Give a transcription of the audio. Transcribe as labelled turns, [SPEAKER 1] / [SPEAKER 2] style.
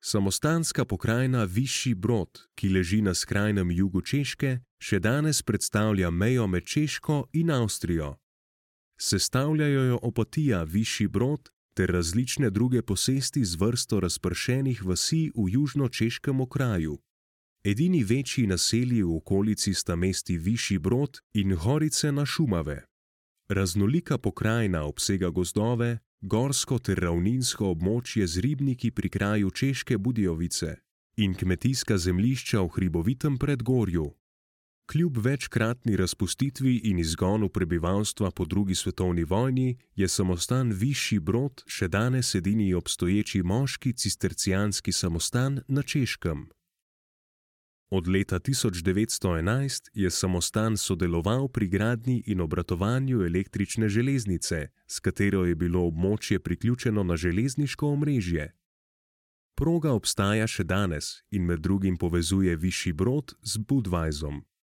[SPEAKER 1] Samostanska pokrajina Višji Brod, ki leži na skrajnem jugu Češke, še danes predstavlja mejo med Češko in Avstrijo. Sestavljajo jo Opatija, Višji Brod ter različne druge posesti z vrsto razpršenih vasi v južno-češkem okraju. Edini večji naselji v okolici sta mesti Višji Brod in Horice na Šumave. Raznolika pokrajina obsega gozdove, gorsko ter ravninsko območje z ribniki pri kraju Češke Budějovice in kmetijska zemljišča v hribovitem predgorju. Kljub večkratni razpustitvi in izgonu prebivalstva po drugi svetovni vojni je samostan Višji Brod še danes edini obstoječi moški cistercijanski samostan na Češkem. Od leta 1911 je samostan sodeloval pri gradnji in obratovanju električne železnice, s katero je bilo območje priključeno na železniško omrežje. Proga obstaja še danes in med drugim povezuje Višji Brod z Budweisom.